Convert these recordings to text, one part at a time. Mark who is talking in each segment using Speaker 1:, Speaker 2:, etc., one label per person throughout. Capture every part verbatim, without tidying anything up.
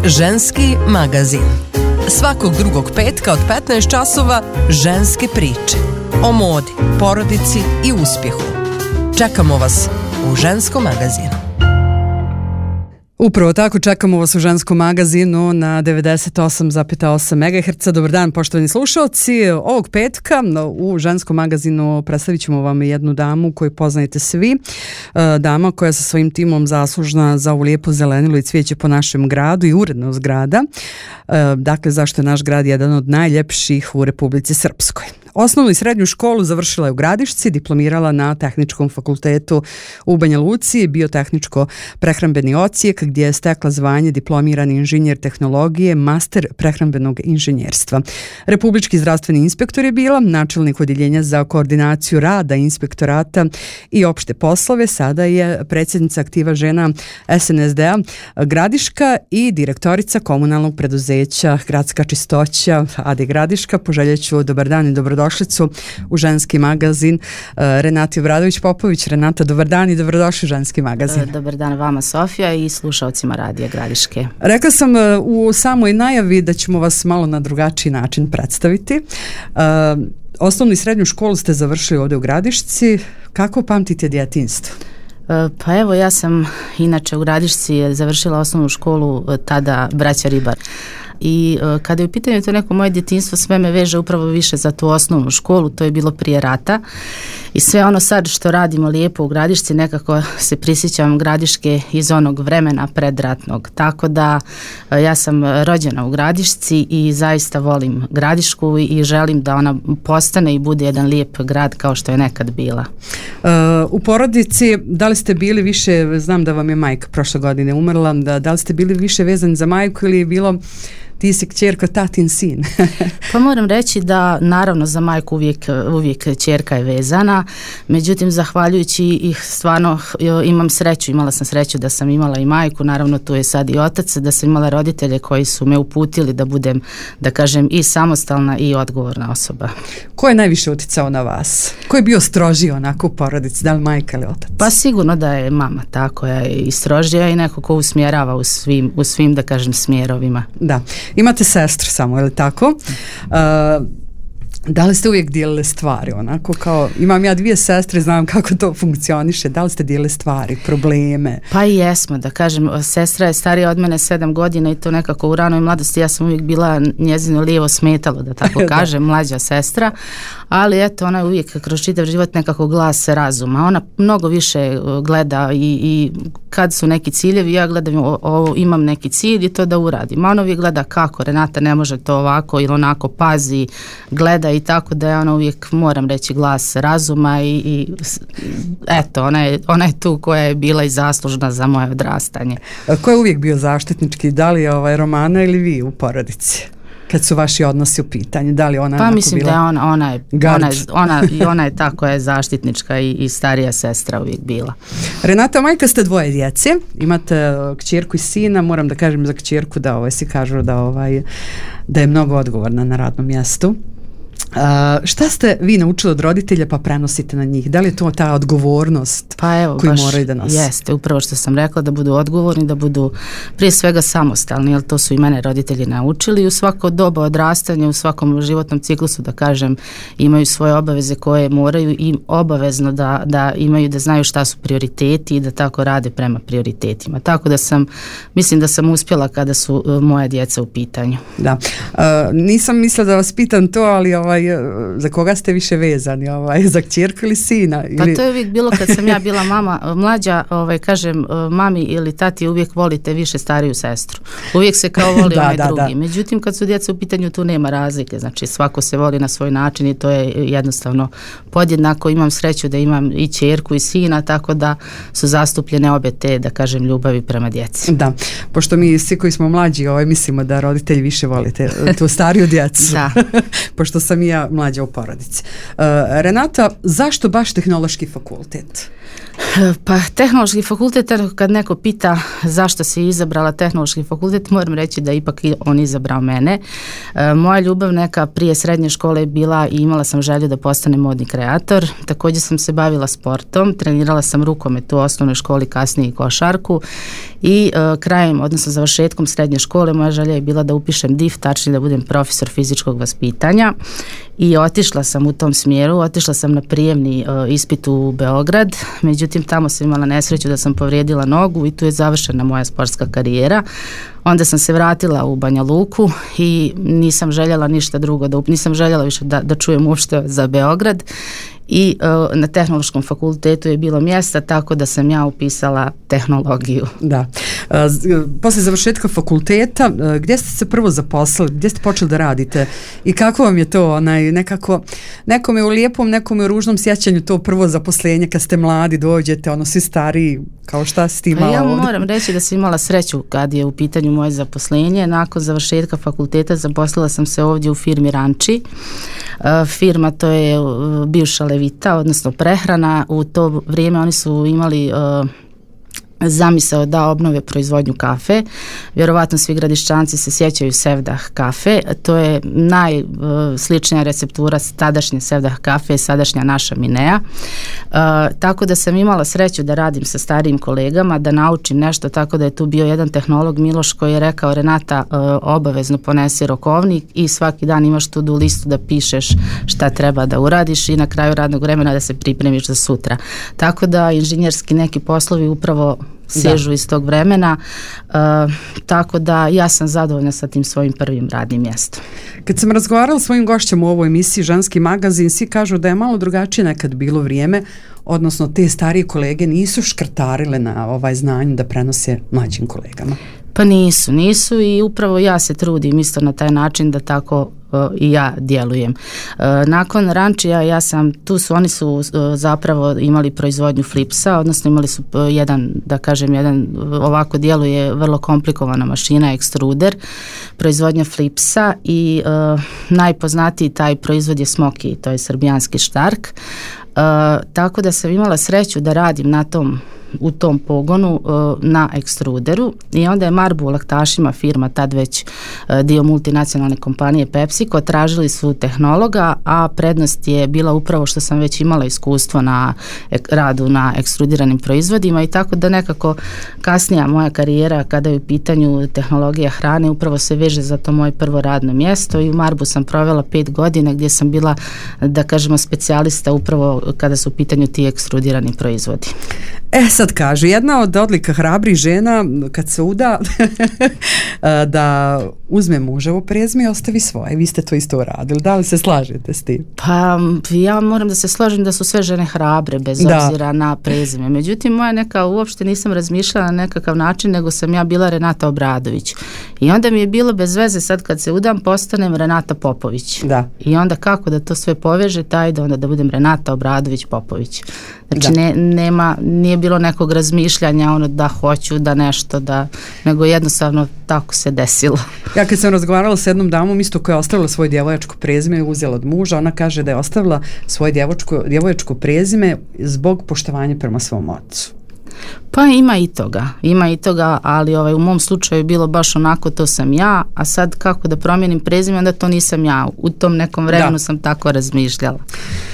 Speaker 1: Ženski magazin. Svakog drugog petka od petnaest časova ženske priče. O modi, porodici i uspjehu. Čekamo vas u Ženskom magazinu.
Speaker 2: Upravo tako, čekamo vas u Ženskom magazinu na devedeset osam zarez osam megaherca. Dobar dan, poštovani slušalci. Ovog petka u Ženskom magazinu predstavit ćemo vam jednu damu koju poznajete svi. Dama koja je sa svojim timom zaslužna za ovu lijepo zelenilo i cvijeće po našem gradu i urednost grada. Dakle, zašto je naš grad jedan od najljepših u Republici Srpskoj. Osnovnu i srednju školu završila je u Gradišci, diplomirala na Tehničkom fakultetu u Banja Luci, biotehničko prehrambeni odsjek gdje je stekla zvanje diplomirani inženjer tehnologije, master prehrambenog inženjerstva. Republički zdravstveni inspektor je bila, načelnik odjeljenja za koordinaciju rada inspektorata i opšte poslove, sada je predsjednica aktiva žena S N S D-a Gradiška i direktorica komunalnog preduzeća Gradska čistoća A D Gradiška. Poželjeću dobar dan i dobrodošlicu u Ženski magazin Renati Obradović-Popović. Renata, dobar dan i dobrodošli u Ženski magazin.
Speaker 3: Dobar dan vama, Sofija, i slušalcima Radija Gradiške.
Speaker 2: Rekla sam u samoj najavi da ćemo vas malo na drugačiji način predstaviti. Osnovnu i srednju školu ste završili ovdje u Gradišci. Kako pamtite djetinjstvo?
Speaker 3: Pa evo, ja sam inače u Gradišci završila osnovnu školu tada Braća Ribar. I uh, kada je u pitanju to neko moje djetinjstvo, sve me veže upravo više za tu osnovnu školu, to je bilo prije rata i sve ono sad što radimo lijepo u Gradišci, nekako se prisjećam Gradiške iz onog vremena predratnog, tako da uh, ja sam rođena u Gradišci i zaista volim Gradišku i želim da ona postane i bude jedan lijep grad kao što je nekad bila.
Speaker 2: Uh, u porodici, da li ste bili više, znam da vam je majka prošle godine umrla, da, da li ste bili više vezani za majku ili je bilo ti si kćerka, tatin sin?
Speaker 3: Pa moram reći da naravno za majku uvijek, uvijek kćerka je vezana, međutim zahvaljujući ih stvarno imam sreću, imala sam sreću da sam imala i majku, naravno tu je sad i otac, da sam imala roditelje koji su me uputili da budem, da kažem, i samostalna i odgovorna osoba.
Speaker 2: Ko je najviše utjecao na vas? Ko je bio strožiji onako u porodici, da li majka ili otac?
Speaker 3: Pa sigurno da je mama ta koja je i strožija i neko ko usmjerava u svim, u svim da kažem smjerovima.
Speaker 2: Da. Imate sestru samo, je li tako? Uh, da li ste uvijek dijelile stvari onako kao, imam ja dvije sestre, znam kako to funkcioniše, da li ste dijelile stvari, probleme?
Speaker 3: Pa i jesmo, da kažem, sestra je starija od mene sedam godina i to nekako u ranoj mladosti, ja sam uvijek bila njezino lijevo smetalo, da tako kažem, mlađa sestra, ali eto, ona je uvijek kroz čitav život nekako glas razuma, ona mnogo više gleda i, i kad su neki ciljevi, ja gledam, o, o, imam neki cilj i to da uradim, a ona uvijek gleda kako, Renata ne može to ovako ili onako, pazi, gleda i tako da je ona uvijek, moram reći, glas razuma i, i eto, ona je, ona je tu koja je bila i zaslužna za moje odrastanje.
Speaker 2: A ko je uvijek bio zaštitnički, da li je ovaj Romana ili vi u porodici? Kad su vaši odnosi u pitanju, da li ona
Speaker 3: pa mislim
Speaker 2: bila
Speaker 3: da je ona, ona je ona, je, ona, ona je ta koja je zaštitnička i, i starija sestra uvijek bila.
Speaker 2: Renata, majka ste dvoje djece, imate kćerku i sina, moram da kažem za kćerku da ovaj, si kažu da, ovaj, da je mnogo odgovorna na radnom mjestu. Uh, šta ste vi naučili od roditelja pa prenosite na njih? Da li je to ta odgovornost
Speaker 3: pa evo,
Speaker 2: koju
Speaker 3: baš
Speaker 2: moraju da nose?
Speaker 3: Jeste, upravo što sam rekla, da budu odgovorni, da budu prije svega samostalni, jer to su i mene roditelji naučili. U svako doba odrastanja, u svakom životnom ciklusu, da kažem, imaju svoje obaveze koje moraju i obavezno da, da imaju, da znaju šta su prioriteti i da tako rade prema prioritetima. Tako da sam, mislim da sam uspjela kada su uh, moja djeca u pitanju.
Speaker 2: Da, uh, nisam mislila da vas pitam to, ali ovaj, za koga ste više vezani, ovaj, za kćerku ili sina? Ili...
Speaker 3: Pa to je uvijek bilo kad sam ja bila mama, mlađa, ovaj, kažem, mami ili tati uvijek volite više stariju sestru. Uvijek se kao voli da, onaj da, drugi. Da. Međutim, kad su djeca u pitanju, tu nema razlike. Znači, svako se voli na svoj način i to je jednostavno podjednako. Imam sreću da imam i kćerku i sina, tako da su zastupljene obe te, da kažem, ljubavi prema djeci.
Speaker 2: Da, pošto mi svi koji smo mlađi ovaj, mislimo da roditelji više volite tu stariju djecu. Da. Pošto sam i ja mlađa u porodici. Uh, Renata, zašto baš tehnološki fakultet?
Speaker 3: Pa tehnološki fakultet, kad neko pita zašto si izabrala tehnološki fakultet, moram reći da ipak on izabrao mene. E, moja ljubav neka prije srednje škole je bila i imala sam želju da postanem modni kreator. Također sam se bavila sportom, trenirala sam rukomet u osnovnoj školi, kasnije i košarku i e, krajem, odnosno završetkom srednje škole, moja želja je bila da upišem D I F, tačnije da budem profesor fizičkog vaspitanja i otišla sam u tom smjeru, otišla sam na prijemni e, ispit u Beograd, međutim tamo sam imala nesreću da sam povrijedila nogu i tu je završena moja sportska karijera. Onda sam se vratila u Banja Luku i nisam željela ništa drugo, da, nisam željela više da, da čujem uopšte za Beograd i uh, na tehnološkom fakultetu je bilo mjesta, tako da sam ja upisala tehnologiju.
Speaker 2: Da. Uh, posle završetka fakulteta, uh, gdje ste se prvo zaposlili, gdje ste počeli da radite i kako vam je to, onaj, nekako, nekom je u lijepom, nekom je u ružnom sjećanju to prvo zaposlenje kad ste mladi, dođete, ono, svi stariji, kao šta si ti imala
Speaker 3: ja
Speaker 2: ovdje?
Speaker 3: Moram reći da sam imala sreću kad je u pitanju moje zaposlenje. Nakon završetka fakulteta zaposlila sam se ovdje u firmi Ranči. Uh, firma to je uh, bivša Levita, odnosno prehrana. U to vrijeme oni su imali uh, zamisao da obnove proizvodnju kafe. Vjerovatno svi Gradišćanci se sjećaju Sevdah kafe. To je najsličnija receptura tadašnje Sevdah kafe, sadašnja naša Minea. Uh, tako da sam imala sreću da radim sa starijim kolegama, da naučim nešto, tako da je tu bio jedan tehnolog Miloš koji je rekao: Renata, uh, obavezno ponesi rokovnik i svaki dan imaš tu do listu da pišeš šta treba da uradiš i na kraju radnog vremena da se pripremiš za sutra. Tako da inženjerski neki poslovi upravo sežu da. iz tog vremena, uh, tako da ja sam zadovoljna sa tim svojim prvim radnim mjestom.
Speaker 2: Kad sam razgovarala s svojim gošćem u ovoj emisiji Ženski magazin, svi kažu da je malo drugačije nekad bilo vrijeme, odnosno te starije kolege nisu škrtarile na ovaj znanje da prenose mlađim kolegama.
Speaker 3: Pa nisu, nisu i upravo ja se trudim isto na taj način da tako uh, i ja djelujem. Uh, nakon Rančija ja sam, tu su, oni su uh, zapravo imali proizvodnju flipsa, odnosno imali su uh, jedan, da kažem, jedan ovako djeluje vrlo komplikovana mašina, ekstruder, proizvodnja flipsa i uh, najpoznatiji taj proizvod je Smoky, to je srbijanski štark. Uh, tako da sam imala sreću da radim na tom u tom pogonu uh, na ekstruderu i onda je Marbu u Laktašima, firma tad već uh, dio multinacionalne kompanije PepsiCo, tražili su tehnologa, a prednost je bila upravo što sam već imala iskustvo na ek, radu na ekstrudiranim proizvodima i tako da nekako kasnija moja karijera kada je u pitanju tehnologija hrane upravo se veže za to moje prvo radno mjesto i u Marbu sam provela pet godina gdje sam bila, da kažemo, specijalista upravo kada su u pitanju ti ekstrudirani proizvodi.
Speaker 2: E, sad kaže, jedna od odlika hrabrih žena kad se uda da uzme muževo prezime i ostavi svoje. Vi ste to isto uradili. Da li se slažete s tim?
Speaker 3: Pa ja moram da se složim da su sve žene hrabre bez da. obzira na prezime. Međutim, moja neka, uopšte nisam razmišljala na nekakav način, nego sam ja bila Renata Obradović. I onda mi je bilo bez veze sad kad se udam postanem Renata Popović. Da. I onda kako da to sve poveže, taj da onda da budem Renata Obradović Popović. Znači ne, nema, nije bilo nekog razmišljanja ono da hoću da nešto da, nego jednostavno tako se desilo.
Speaker 2: Ja kad sam razgovarala s jednom damom isto koja je ostavila svoje djevojačko prezime i uzela od muža, ona kaže da je ostavila svoje djevojačko, djevojačko prezime zbog poštovanja prema svom ocu.
Speaker 3: Pa ima i toga, ima i toga, ali ovaj, u mom slučaju je bilo baš onako, to sam ja, a sad kako da promijenim prezime, onda to nisam ja. U tom nekom vremenu da. sam tako razmišljala.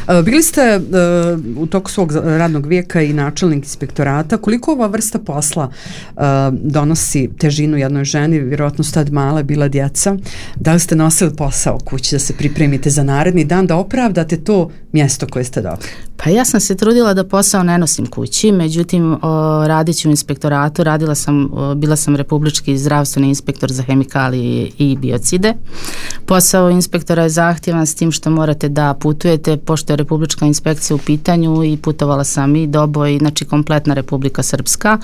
Speaker 2: Uh, bili ste uh, u toku svog radnog vijeka i načelnik inspektorata. Koliko ova vrsta posla uh, donosi težinu jednoj ženi? Vjerojatno su tad mala bila djeca. Da li ste nosili posao kući da se pripremite za naredni dan, da opravdate to mjesto koje ste dobili?
Speaker 3: Pa ja sam se trudila da posao ne nosim kući, međutim o, radići u inspektoratu, radila sam, o, bila sam republički zdravstveni inspektor za hemikalije i biocide. Posao inspektora je zahtjevan s tim što morate da putujete, pošto je republička inspekcija u pitanju i putovala sam i Doboj, znači kompletna Republika Srpska.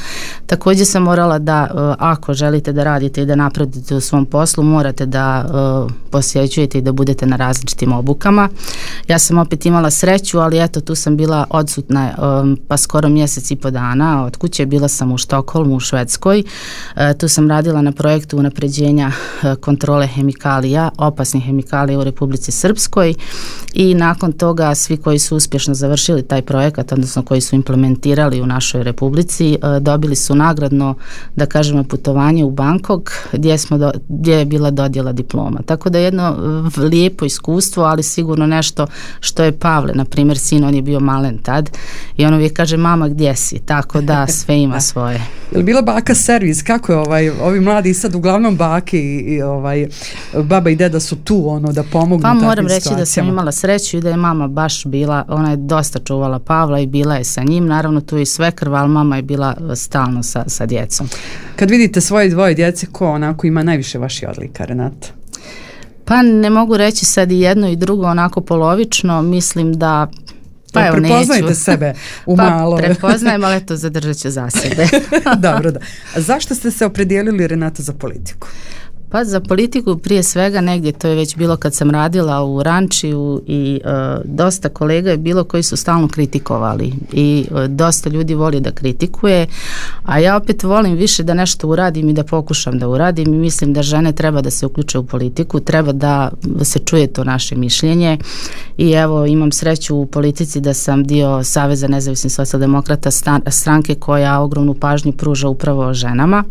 Speaker 3: Također sam morala da, o, ako želite da radite i da napredujete u svom poslu, morate da o, posjećujete i da budete na različitim obukama. Ja sam opet imala sreću, ali eto tu sam bila odsutna um, pa skoro mjesec i po dana posao od kuće, bila sam u Štokholmu, u Švedskoj. E, tu sam radila na projektu unapređenja e, kontrole hemikalija, opasnih hemikalija u Republici Srpskoj i nakon toga svi koji su uspješno završili taj projekat, odnosno koji su implementirali u našoj Republici, e, dobili su nagradno, da kažemo, putovanje u Bangkok gdje, smo do, gdje je bila dodjela diploma. Tako da jedno lijepo iskustvo, ali sigurno nešto što je Pavle, na primjer, sin, on je bio malen tad i on uvijek kaže, mama, gdje si? Tako da sve ima svoje.
Speaker 2: Je li bila baka servis? Kako je ovaj, ovi mladi sad uglavnom bake i, i ovaj, baba i deda su tu ono da pomognu
Speaker 3: pa
Speaker 2: takvim
Speaker 3: moram reći
Speaker 2: situacijama?
Speaker 3: Da sam imala sreću i da je mama baš bila, ona je dosta čuvala Pavla i bila je sa njim, naravno tu i svekrva, ali mama je bila stalno sa, sa djecom.
Speaker 2: Kad vidite svoje dvoje djece, ko onako ima najviše vaših odlika, Renata?
Speaker 3: Pa ne mogu reći sad i jedno i drugo onako polovično, mislim da pa evo
Speaker 2: prepoznajte
Speaker 3: neću.
Speaker 2: Sebe u
Speaker 3: pa
Speaker 2: malo.
Speaker 3: Prepoznajem, ali eto zadržat ću za sebe.
Speaker 2: Dobro, da. A zašto ste se opredijelili, Renata, za politiku?
Speaker 3: Pa za politiku prije svega negdje, to je već bilo kad sam radila u Rančiju i e, dosta kolega je bilo koji su stalno kritikovali i e, dosta ljudi voli da kritikuje, a ja opet volim više da nešto uradim i da pokušam da uradim i mislim da žene treba da se uključe u politiku, treba da se čuje to naše mišljenje i evo imam sreću u politici da sam dio Saveza nezavisnih socijaldemokrata, stranke koja ogromnu pažnju pruža upravo ženama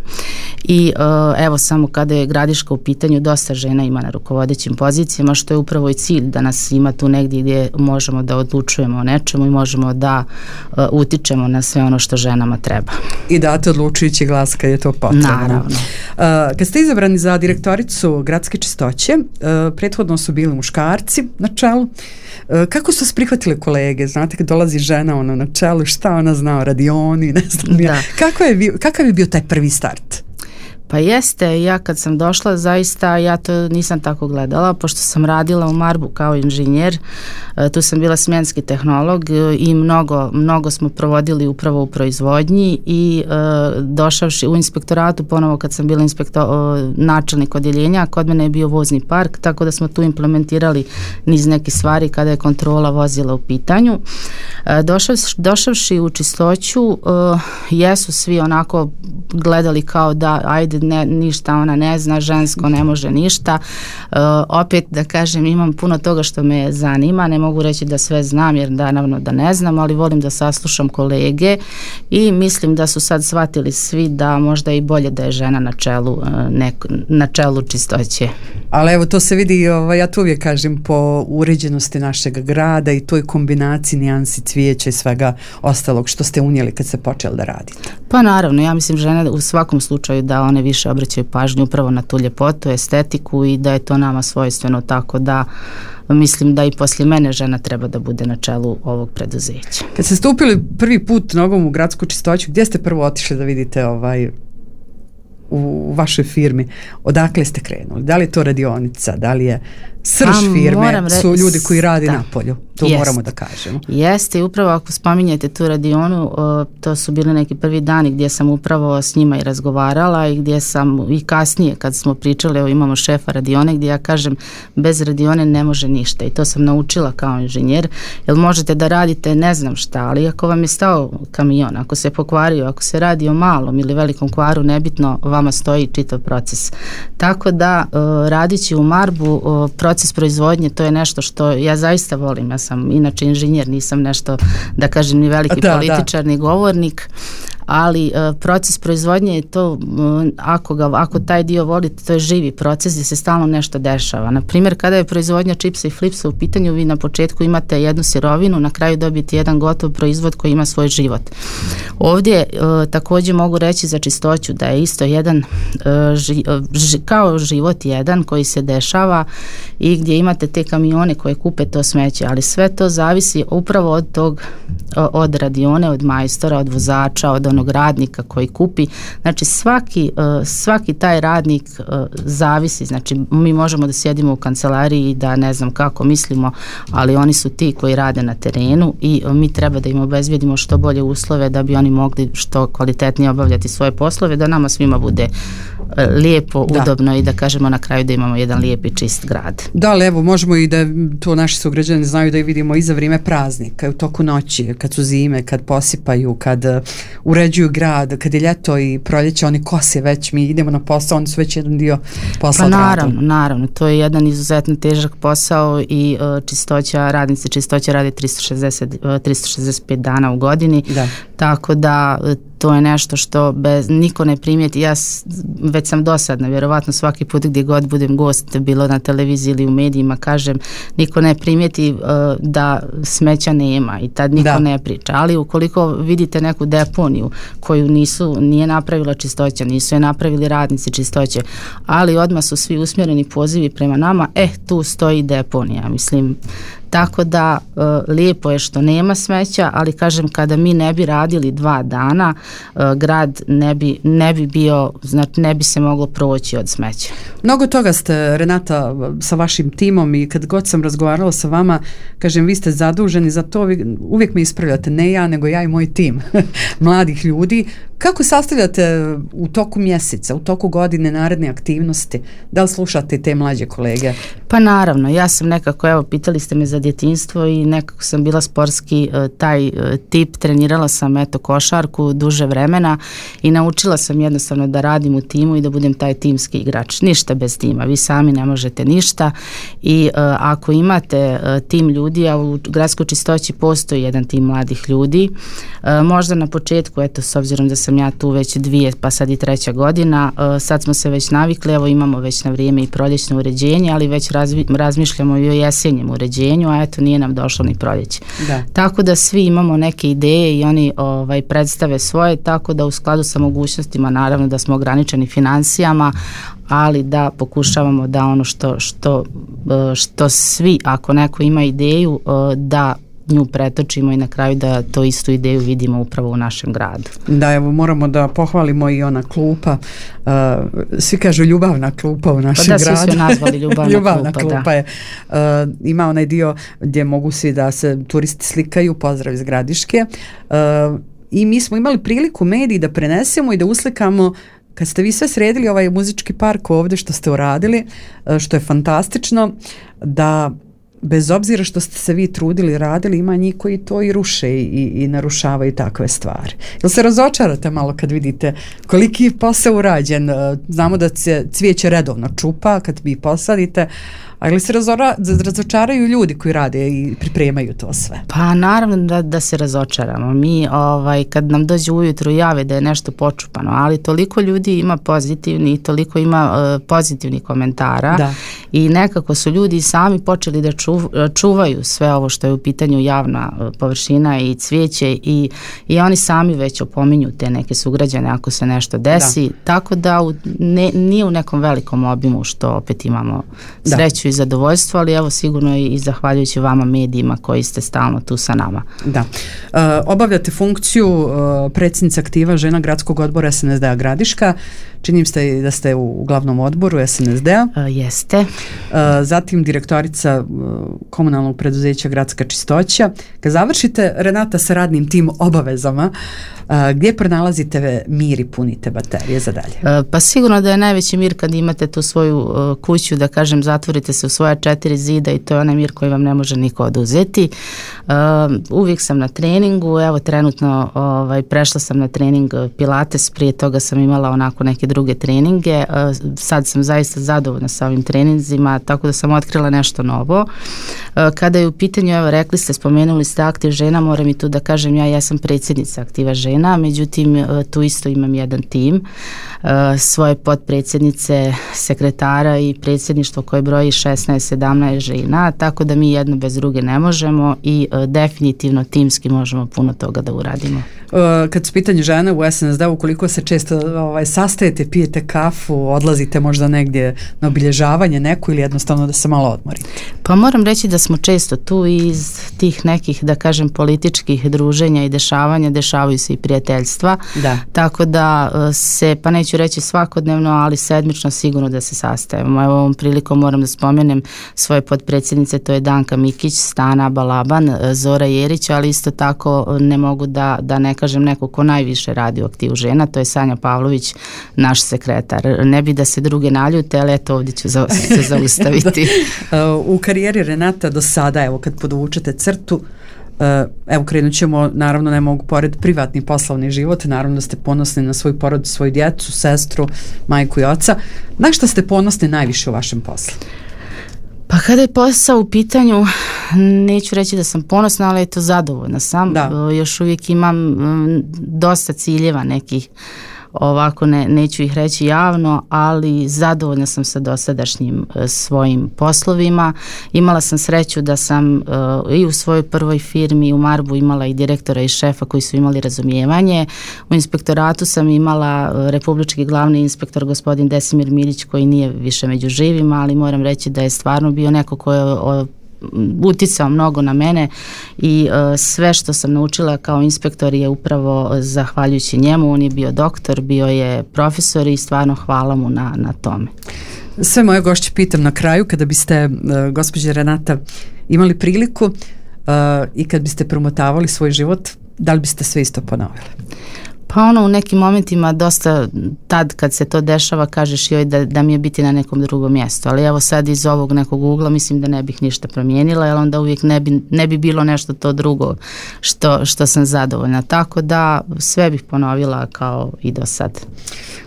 Speaker 3: i e, evo samo kada je grad u pitanju, dosta žena ima na rukovodećim pozicijama, što je upravo i cilj da nas ima tu negdje gdje možemo da odlučujemo o nečemu i možemo da uh, utičemo na sve ono što ženama treba.
Speaker 2: I date odlučujući glas kad je to potrebno.
Speaker 3: Naravno.
Speaker 2: Uh, kad ste izabrani za direktoricu gradske čistoće, uh, prethodno su bili muškarci na čelu. Uh, kako su se prihvatile kolege? Znate, kad dolazi žena ono na čelu, šta ona zna o radioni, ne znam ja. Kako je bio, kakav je bio taj prvi start?
Speaker 3: Pa jeste, ja kad sam došla zaista ja to nisam tako gledala, pošto sam radila u Marbu kao inženjer, tu sam bila smjenski tehnolog i mnogo, mnogo smo provodili upravo u proizvodnji i e, došavši u inspektoratu, ponovo kad sam bila inspektor, načelnik odjeljenja, kod mene je bio vozni park, tako da smo tu implementirali niz nekih stvari kada je kontrola vozila u pitanju. E, došav, došavši u čistoću, e, jesu svi onako gledali kao da ajde ne, ništa ona ne zna, žensko ne može ništa. E, opet da kažem, imam puno toga što me zanima, ne mogu reći da sve znam jer naravno da ne znam, ali volim da saslušam kolege i mislim da su sad shvatili svi da možda i bolje da je žena na čelu, neko, na čelu čistoće.
Speaker 2: Ali evo to se vidi, ovaj, ja to uvijek kažem, po uređenosti našeg grada i toj kombinaciji nijansi cvijeća i svega ostalog što ste unijeli kad ste počeli da radite.
Speaker 3: Pa naravno, ja mislim žene u svakom slučaju da one više obraćaju pažnju upravo na tu ljepotu, estetiku i da je to nama svojstveno, tako da mislim da i poslije mene žena treba da bude na čelu ovog preduzeća.
Speaker 2: Kad ste stupili prvi put nogom u gradsku čistoću, gdje ste prvo otišli da vidite ovaj u vašoj firmi? Odakle ste krenuli? Da li je to radionica? Da li je srž A, firme? Re... Su ljudi koji rade da. Na polju. To Jest. Moramo da kažemo.
Speaker 3: Jeste, i upravo ako spominjete tu radionu, o, to su bili neki prvi dani gdje sam upravo s njima i razgovarala i gdje sam i kasnije kad smo pričali, evo imamo šefa radione gdje ja kažem bez radione ne može ništa i to sam naučila kao inženjer, jer možete da radite ne znam šta, ali ako vam je stao kamion, ako se pokvario, ako se radi o malom ili velikom kvaru, nebitno, vama stoji čitav proces. Tako da o, radići u Marbu, o, proces proizvodnje, to je nešto što ja zaista volim. Ja sam inače inženjer, nisam nešto da kažem ni veliki da, političar, da. Ni govornik, ali uh, proces proizvodnje je to, uh, ako, ga, ako taj dio volite, to je živi proces gdje se stalno nešto dešava. Na primjer, kada je proizvodnja čipsa i flipsa u pitanju, vi na početku imate jednu sirovinu, na kraju dobijete jedan gotov proizvod koji ima svoj život. Ovdje uh, također mogu reći za čistoću da je isto jedan uh, ži, uh, ži, kao život jedan koji se dešava i gdje imate te kamione koje kupe to smeće, ali sve to zavisi upravo od tog, od radione, od majstora, od vozača, od onog radnika koji kupi. Znači svaki, svaki taj radnik zavisi, znači mi možemo da sjedimo u kancelariji i da ne znam kako mislimo, ali oni su ti koji rade na terenu i mi treba da im obezbjedimo što bolje uslove da bi oni mogli što kvalitetnije obavljati svoje poslove, da nama svima bude lijepo,
Speaker 2: da.
Speaker 3: udobno i da kažemo na kraju da imamo jedan lijep i čist grad.
Speaker 2: Da, ali evo možemo i da to naši sugrađani znaju da i vidimo i za vrijeme praznika, u toku noći, kad su zime, kad posipaju, kad uh, uređuju grad, kad je ljeto i proljeće, oni kose već, mi idemo na posao, oni su već jedan dio posla
Speaker 3: pa
Speaker 2: grada.
Speaker 3: naravno, naravno, to je jedan izuzetno težak posao i uh, čistoća, radnici čistoća radi tristo šezdeset, uh, tristo šezdeset pet dana u godini,
Speaker 2: da.
Speaker 3: Tako da uh, to je nešto što bez, niko ne primijeti. Ja s, već sam dosadna, vjerovatno svaki put gdje god budem gost, bilo na televiziji ili u medijima, kažem, niko ne primijeti uh, da smeća nema i tad niko
Speaker 2: da.
Speaker 3: ne priča. Ali ukoliko vidite neku deponiju koju nisu, nije napravila čistoća, nisu je napravili radnici čistoće, ali odmah su svi usmjereni pozivi prema nama, eh, tu stoji deponija, mislim. Tako da uh, lijepo je što nema smeća, ali kažem kada mi ne bi radili dva dana, uh, grad ne bi, ne bi bio, znači ne bi se moglo proći od smeća.
Speaker 2: Mnogo toga ste, Renata, sa vašim timom i kad god sam razgovarala sa vama, kažem, vi ste zaduženi za to, vi uvijek me ispravljate, ne ja, nego ja i moj tim mladih ljudi. Kako sastavljate u toku mjeseca, u toku godine naredne aktivnosti? Da li slušate te mlađe kolege?
Speaker 3: Pa naravno, ja sam nekako, evo, pitali ste me za djetinjstvo i nekako sam bila sportski uh, taj uh, tip, trenirala sam eto košarku duže vremena i naučila sam jednostavno da radim u timu i da budem taj timski igrač. Ništa bez tima, vi sami ne možete ništa i uh, ako imate uh, tim ljudi, a u gradskoj čistoći postoji jedan tim mladih ljudi, uh, možda na početku, eto, s obzirom da sam ja tu već dvije, pa sad i treća godina, uh, sad smo se već navikli, evo imamo već na vrijeme i proljećno uređenje, ali već razvi, razmišljamo i o jesenjem uređenju, a eto nije nam došlo ni proljeće. Da. Tako da svi imamo neke ideje i oni ovaj, predstave svoje, tako da u skladu sa mogućnostima, naravno da smo ograničeni financijama, ali da pokušavamo da ono što, što, što svi, ako neko ima ideju, da nju pretočimo i na kraju da to istu ideju vidimo upravo u našem gradu. Da,
Speaker 2: evo moramo da pohvalimo i ona klupa, uh, svi kažu ljubavna klupa u našem gradu.
Speaker 3: Pa da, svi su nazvali ljubavna,
Speaker 2: ljubavna
Speaker 3: klupa,
Speaker 2: klupa
Speaker 3: da.
Speaker 2: je. Uh, ima onaj dio gdje mogu svi da se turisti slikaju, pozdrav iz Gradiške. Uh, I mi smo imali priliku mediji da prenesemo i da uslikamo kad ste vi sve sredili ovaj muzički park ovdje što ste uradili, što je fantastično, da bez obzira što ste se vi trudili, radili, ima njih koji to i ruše i, i narušavaju takve stvari. Jel se razočarate malo kad vidite koliki je posao urađen? Znamo da se cvijeće redovno čupa kad vi posadite, ali se razora, razočaraju ljudi koji rade i pripremaju to sve?
Speaker 3: Pa naravno da, da se razočaramo. Mi ovaj, kad nam dođe ujutru jave da je nešto počupano, ali toliko ljudi ima pozitivni i toliko ima uh, pozitivnih komentara da. I nekako su ljudi sami počeli da čuv, čuvaju sve ovo što je u pitanju javna uh, površina i cvijeće i, i oni sami već opominju te neke sugrađane ako se nešto desi, da. Tako da u, ne, nije u nekom velikom obimu što opet imamo sreću da. I zadovoljstvo, ali evo sigurno i, i zahvaljujući vama medijima koji ste stalno tu sa nama.
Speaker 2: Da. Uh, obavljate funkciju uh, predsjednica aktiva žena gradskog odbora es en es de a Gradiška. Činim se da ste u glavnom odboru es en es de a.
Speaker 3: Uh, jeste.
Speaker 2: Uh, zatim direktorica uh, komunalnog preduzeća Gradska čistoća. Kad završite, Renata, sa radnim tim obavezama, uh, gdje pronalazite mir i punite baterije za dalje?
Speaker 3: Uh, pa sigurno da je najveći mir kad imate tu svoju uh, kuću, da kažem, zatvorite se u svoja četiri zida i to je onaj mir koji vam ne može niko oduzeti. Uh, uvijek sam na treningu, evo trenutno ovaj, prešla sam na trening Pilates, prije toga sam imala onako neke druge treninge, uh, sad sam zaista zadovoljna sa ovim treninzima, tako da sam otkrila nešto novo. Uh, kada je u pitanju, evo rekli ste, spomenuli ste aktiv žena, moram i tu da kažem, ja jesam predsjednica aktiva žena, međutim uh, tu isto imam jedan tim, uh, svoje potpredsjednice, sekretara i predsjedništvo koje broji šesnaest sedamnaest žena, tako da mi jedno bez druge ne možemo i uh, definitivno timski možemo puno toga da uradimo.
Speaker 2: Uh, kad su pitanje žene u es en es de, ukoliko se često ovaj, sastajete, pijete kafu, odlazite možda negdje na obilježavanje neko ili jednostavno da se malo odmorite?
Speaker 3: Pa moram reći da smo često tu iz tih nekih, da kažem, političkih druženja i dešavanja, dešavaju se i prijateljstva, da. Tako da se, pa neću reći svakodnevno, ali sedmično sigurno da se sastajemo. Evo ovom prilikom moram da spomenem svoje potpredsjednice, to je Danka Mikić, Stana Balaban, Zora Jerić, ali isto tako ne mogu da, da ne kažem neko ko najviše radi u aktivu žena, to je Sanja Pavlović, naš sekretar. Ne bi da se druge naljute, ali eto ovdje ću za, se zaustaviti.
Speaker 2: da. U karijeri Renata do sada, evo kad podvučete crtu, evo krenut ćemo, naravno ne mogu pored privatni poslovni život, naravno da ste ponosni na svoju porodicu, svoju djecu, sestru, majku i oca. Na što ste ponosni najviše u vašem poslu?
Speaker 3: Pa kada je posao u pitanju, neću reći da sam ponosna, ali je to zadovoljna sam. Da. Još uvijek imam dosta ciljeva nekih, ovako ne, neću ih reći javno, ali zadovoljna sam sa dosadašnjim e, svojim poslovima. Imala sam sreću da sam e, i u svojoj prvoj firmi u Marbu imala i direktora i šefa koji su imali razumijevanje. U inspektoratu sam imala e, republički glavni inspektor gospodin Desimir Milić koji nije više među živima, ali moram reći da je stvarno bio neko ko je o, uticao mnogo na mene i uh, sve što sam naučila kao inspektor je upravo zahvaljujući njemu. On je bio doktor, bio je profesor i stvarno hvala mu na, na tome.
Speaker 2: Sve moje gošće pitam na kraju, kada biste, uh, gospođa Renata, imali priliku uh, i kad biste promotavali svoj život, da li biste sve isto ponovili?
Speaker 3: Pa ono u nekim momentima dosta tad kad se to dešava kažeš joj da, da mi je biti na nekom drugom mjestu, ali evo sad iz ovog nekog ugla mislim da ne bih ništa promijenila, jer onda uvijek ne bi, ne bi bilo nešto to drugo što, što sam zadovoljna, tako da sve bih ponovila kao i do sad.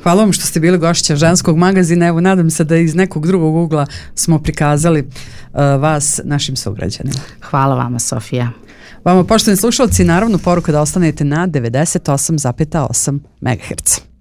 Speaker 2: Hvala vam što ste bili gošća Ženskog magazina, evo nadam se da iz nekog drugog ugla smo prikazali uh, vas našim sugrađanima.
Speaker 3: Hvala vama, Sofija.
Speaker 2: Vama, poštovani slušalci, naravno poruka da ostanete na devedeset osam zarez osam megaherca.